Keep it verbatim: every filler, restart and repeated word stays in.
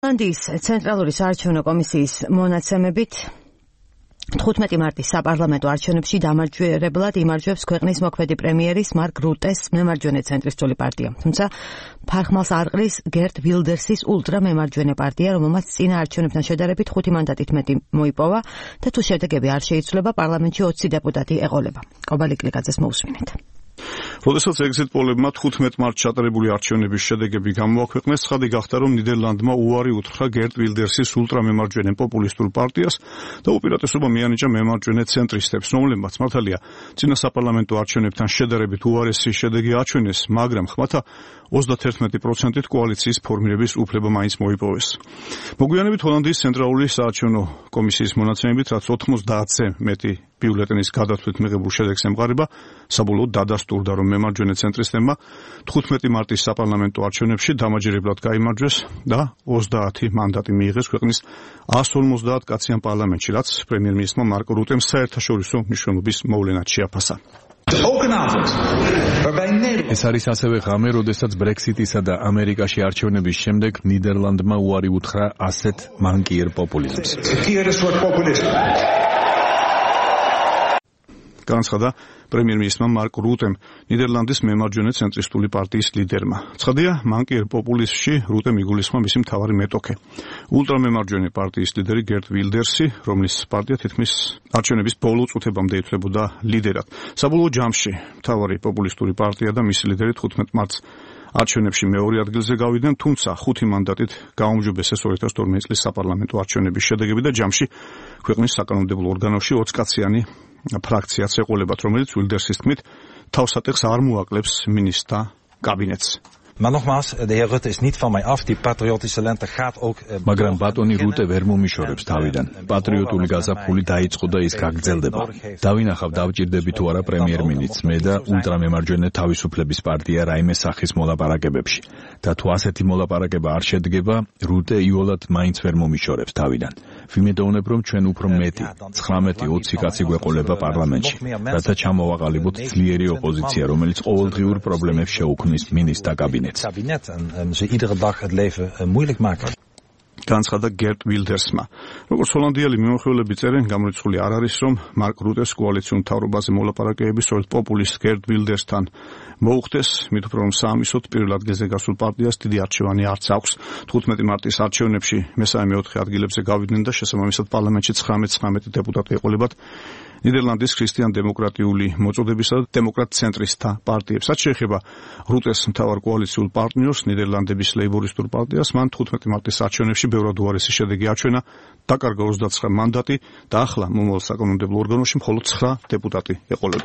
ირლანდიის ცენტრალური საარჩევნო კომისიის მონაცემებით თხუთმეტი მარტის საპარლამენტო არჩევნებში დამარჯვებულად იმარჯვებს ქვეყნის მოქმედი პრემიერის მარკ რუტეს მემარჯვენე ცენტრისტული პარტია. თუმცა ფარხმალს არყრის გერტ ვილდერსის ულტრამემარჯვენე პარტია, რომელმაც წინა არჩევნებთან შედარებით ხუთი მანდატით მეტი მოიპოვა და თუ შედეგები არ შეიცვლება, პარლამენტში ოცი დეპუტატი ეყოლება. კობალი კლიკაძეს მოусმინეთ. როდესაც ეგზიტ პოლებმა თხუთმეტ მარტს ჩატარებული არჩევნების შედეგები გამოაქვეყნეს, ცხადი გახდა, რომ ნიდერლანდმა უარი უთხრა გერტ ვილდერსის ულტრამემარჯვენე პოპულისტურ პარტიას და უპირატესობა მიანიჭა მემარჯვენე ცენტრისტებს, რომლებმაც მართალია წინა საპარლამენტო არჩევნებთან შედარებით უარესი შედეგი აჩვენეს, მაგრამ ხმათა ოცდაათი პროცენტით კოალიციის ფორმირების უფლება მაინც მოიპოვეს. მოგვიანებით ჰოლანდიის ცენტრალური საარჩევნო კომისიის მონაცემებით, რაც ოთხმოცდაათზე მეტი ბიულეტენის გადათვლით მიღებულ შედეგს ემყარება, საბოლოოდ დადასტურდა, რომ მემარჯვენე ცენტრისტებმა თხუთმეტი მარტის საპარლამენტო არჩევნებში დამაჯერებლად გაიმარჯვეს და ოცდაათი მანდატი მიიღეს ქვეყნის ას ორმოცდაათ კაციან პარლამენტში, რაც პრემიერ-მინისტრმა მარკ რუტემ საერთაშორისო მნიშვნელობის მოვლენად შეაფასა. ეს არის ასევე ღამე, როდესაც ბრექსიტისა და ამერიკაში არჩევნების შემდეგ ნიდერლანდმა უარი უთხრა ასეთ მანკიერ პოპულიზმს. განაცხადა პრემიერ-მინისტრმა მარკ რუტემ, ნიდერლანდის მემარჯვენე ცენტრისტული პარტიის ლიდერმა. ცხადია, მანკიერ პოპულიზმში რუტემ იგულისხმა მისი მთავარი მეტოქე. ულტრამემარჯვენე პარტიის ლიდერი გერტ ვილდერსი, რომლის პარტია თითქმის არჩევნების ბოლო წუთებამდე ითვლებოდა ლიდერად. საბოლოო ჯამში მთავარი პოპულისტური პარტია და მისი ლიდერი თხუთმეტ მარტს არჩევნებში მეორე ადგილზე გავიდნენ, თუმცა ხუთი მანდატით გაუმჯობესეს ორი ათას თორმეტი წლის საპარლამენტო არჩევნების შედეგები და ჯამში ქვეყნის საკანონმდებლო ორგანოში ოცკაციანი ფრაქციაც ეყოლებათ, რომელიც ვილდერსის თქმით თავსატეხს არ მოაკლებს მინისტრთა კაბინეტს. Maar nogmaals, de heer Rutte is niet van mij af. Die patriotische lente gaat ook... მაგრამ ბატონი რუტე ვერ მომიშორებს თავიდან. პატრიოტული გაზაფხული დაიწყო და ის გაგრძელდება. დავინახავ დავჭირდები თუ არა პრემიერ-მინისტრს, მე და ულტრამემარჯვენე თავისუფლების პარტია რაიმე სახის მოლაპარაკებებში. და თუ ასეთი მოლაპარაკება არ შედგება, რუტე იოლად მაინც ვერ მომიშორებს თავიდან. ვიმედოვნებ, რომ ჩვენ უფრო მეტი, ცხრამეტი ოცი კაცი გვეყოლება პარლამენტში, რათა ჩამოვაყალიბოთ ძლიერი ოპოზიცია, რომელიც ყოველდღიურ პრობლემებს შეუქმნის მინისტრთა კაბინეტს. kabinet en ze iedere dag het leven moeilijk maken. განაცხადა გერტ ვილდერსმა. როგორც ჰოლანდიელი მიმოხილველი წერენ, გამორიცხული არ არის, რომ მარკ რუტეს კოალიციურ მთავრობაზე მოლაპარაკებები სწორედ პოპულისტ გერტ ვილდერსთან მოუხდეს, მით უფრო რომ საამისოდ პირველ ადგილზე გასულ პარტიას დიდი არჩევანი არც აქვს. თხუთმეტი მარტის არჩევნებში მესამე მეოთხე ადგილებზე გავიდნენ და შესაბამისად პარლამენტში ცხრამეტ ცხრამეტი დეპუტატი ეყოლებათ ნიდერლანდის ქრისტიან-დემოკრატიული მოწოდებისა და დემოკრატ-ცენტრისტთა პარტიებს. რაც შეეხება რუტეს მთავარ კოალიციურ პარტნიორს, ნიდერლანდების ლეიბორისტულ პარტიას, მან თხუთმეტი მარტის არჩევნებში ბევრად უარესი შედეგი აჩვენა, დაკარგა ოცდაცხრა მანდატი და ახლა მომავალ საკანონმდებლო ორგანოში მხოლოდ ცხრა დეპუტატი ეყოლება.